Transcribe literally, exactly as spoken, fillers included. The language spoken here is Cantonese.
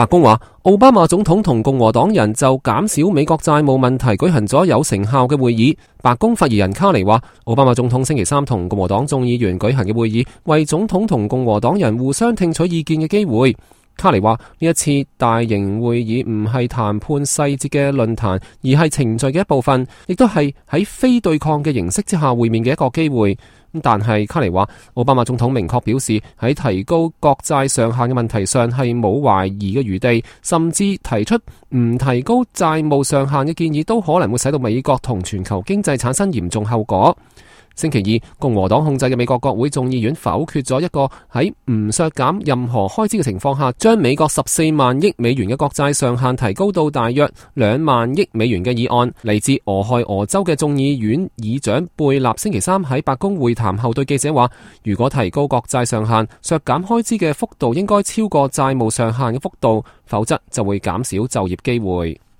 白宮話，奧巴馬總統同共和黨人就減少美國債務問題舉行咗有成效嘅會議。白宮發言人卡尼話，奧巴馬總統星期三同共和黨眾議員舉行嘅會議，為總統同共和黨人互相聽取意見嘅機會。卡尼話，呢一次大型會議唔係談判細節嘅論壇，而係程序嘅一部分，亦都係喺非對抗嘅形式之下會面嘅一個機會。但係卡尼話，奧巴馬總統明確表示喺提高國債上限嘅問題上係冇懷疑嘅餘地，甚至提出唔提高債務上限嘅建議都可能會使到美國同全球經濟產生嚴重後果。星期二，共和黨控制嘅美國國會眾議院否決咗一個喺唔削減任何開支嘅情況下，將美國十四萬億美元嘅國債上限提高到大約兩萬億美元嘅議案。嚟自俄亥俄州嘅眾議院議長貝納星期三喺白宮會談後對記者話，如果提高國債上限，削減開支嘅幅度應該超過債務上限嘅幅度，否則就會減少就業機會。